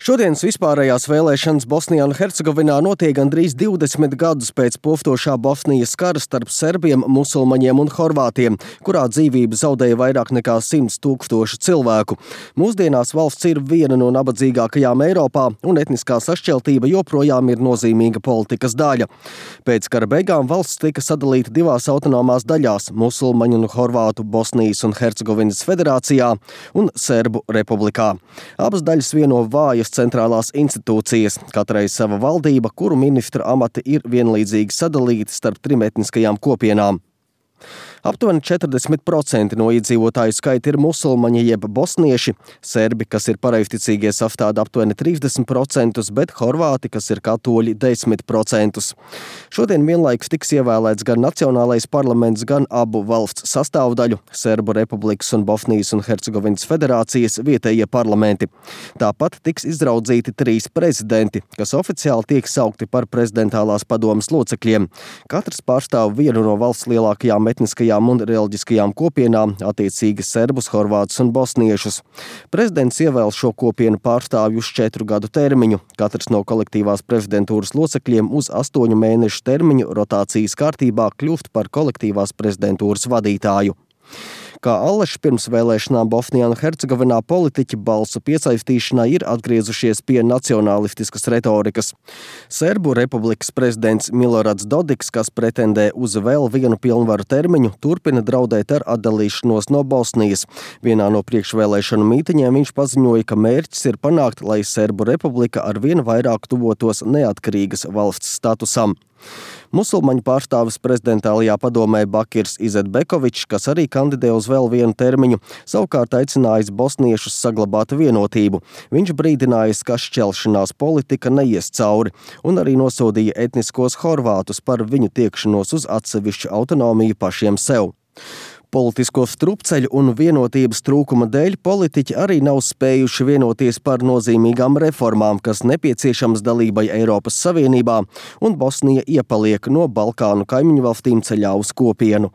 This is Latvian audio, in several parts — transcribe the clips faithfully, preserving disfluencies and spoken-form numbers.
Šodienas vispārējās vēlēšanas Bosnijā un Hercegovinā notiek gandrīz divdesmit gadus pēc poftošā Bosnijas kara starp serbiem, musulmaņiem un horvātiem, kurā dzīvību zaudēja vairāk nekā simts tūkstoši cilvēku. Mūsdienās valsts ir viena no nabadzīgākajām Eiropā, un etniskā sašķeltība joprojām ir nozīmīga politikas daļa. Pēc kara beigām valsts tika sadalīta divās autonomās daļās – musulmaņu un horvātu Bosnijas un Hercegovinas federācijā un Serbu republikā. Abas daļas vieno vājas centrālās institūcijas, katrai sava valdība, kuru ministra amati ir vienlīdzīgi sadalīti starp trim etniskajām kopienām. Aptuveni četrdesmit procenti no iedzīvotāju skaita ir musulmaņi jeb bosnieši, serbi, kas ir pareizticīgie, sastāda aptuveni trīsdesmit procentus, bet horvāti, kas ir katoļi, desmit procentus. Šodien vienlaikus tiks ievēlēts gan Nacionālais parlaments, gan abu valsts sastāvdaļu – Serbu republikas un Bosnijas un Hercegovinas federācijas vietējie parlamenti. Tāpat tiks izraudzīti trīs prezidenti, kas oficiāli tiek saukti par prezidentālās padomes locekļiem. Katrs pārstāv vienu no valsts lielākajām etniskajām un reliģiskajām kopienām, attiecīgi serbus, horvātus un bosniešus. Prezidents ievēl šo kopienu pārstāvju uz četru gadu termiņu, katrs no kolektīvās prezidentūras locekļiem uz astoņu mēnešu termiņu rotācijas kārtībā kļūst par kolektīvās prezidentūras vadītāju. Kā allaž pirms vēlēšanām Bosnijā un Hercegovinā politiķi balsu piesaistīšanai ir atgriezušies pie nacionālistiskas retorikas. Serbu republikas prezidents Milorads Dodiks, kas pretendē uz vēl vienu pilnvaru termiņu, turpina draudēt ar atdalīšanos no Bosnijas. Vienā no priekšvēlēšanu mītiņiem viņš paziņoja, ka mērķis ir panākt, lai Serbu republika ar vien vairāk tuvotos neatkarīgas valsts statusam. Musulmaņu pārstāvis prezidentālajā padomē Bakirs Izetbekovičs, kas arī kandidē uz vēl vienu termiņu, savukārt aicinājis bosniešus saglabāt vienotību. Viņš brīdinājis, ka šķelšanās politika neies cauri, un arī nosodīja etniskos horvātus par viņu tiekšanos uz atsevišķu autonomiju pašiem sev. Politisko strupceļu un vienotības trūkuma dēļ politiķi arī nav spējuši vienoties par nozīmīgām reformām, kas nepieciešamas dalībai Eiropas Savienībā, un Bosnija iepaliek no Balkānu kaimiņu valstīm ceļā uz kopienu.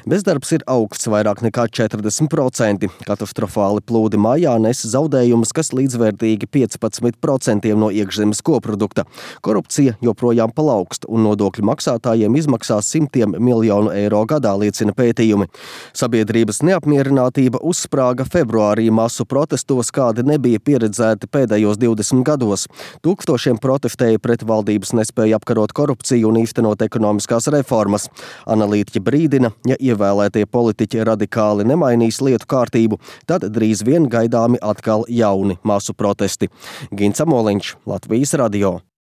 Bezdarbs ir augsts vairāk nekā četrdesmit procenti. Katastrofāli plūdi mājā nes zaudējumus, kas līdzvērtīgi piecpadsmit procentiem no iekšzemes koprodukta. Korupcija joprojām palaugst, un nodokļu maksātājiem izmaksās simtiem miljonu eiro gadā, liecina pētījumi. Sabiedrības neapmierinātība uzsprāga februārī masu protestos, kādi nebija pieredzēti pēdējos divdesmit gados. Tūkstošiem protestēja pret valdības nespēju apkarot korupciju un īstenot ekonomiskās reformas. Analītiķi brīdina, ja ievēlētie politiķi radikāli nemainīs lietu kārtību, tad drīz vien gaidāmi atkal jauni masu protesti. Gints Amoliņš, Latvijas radio.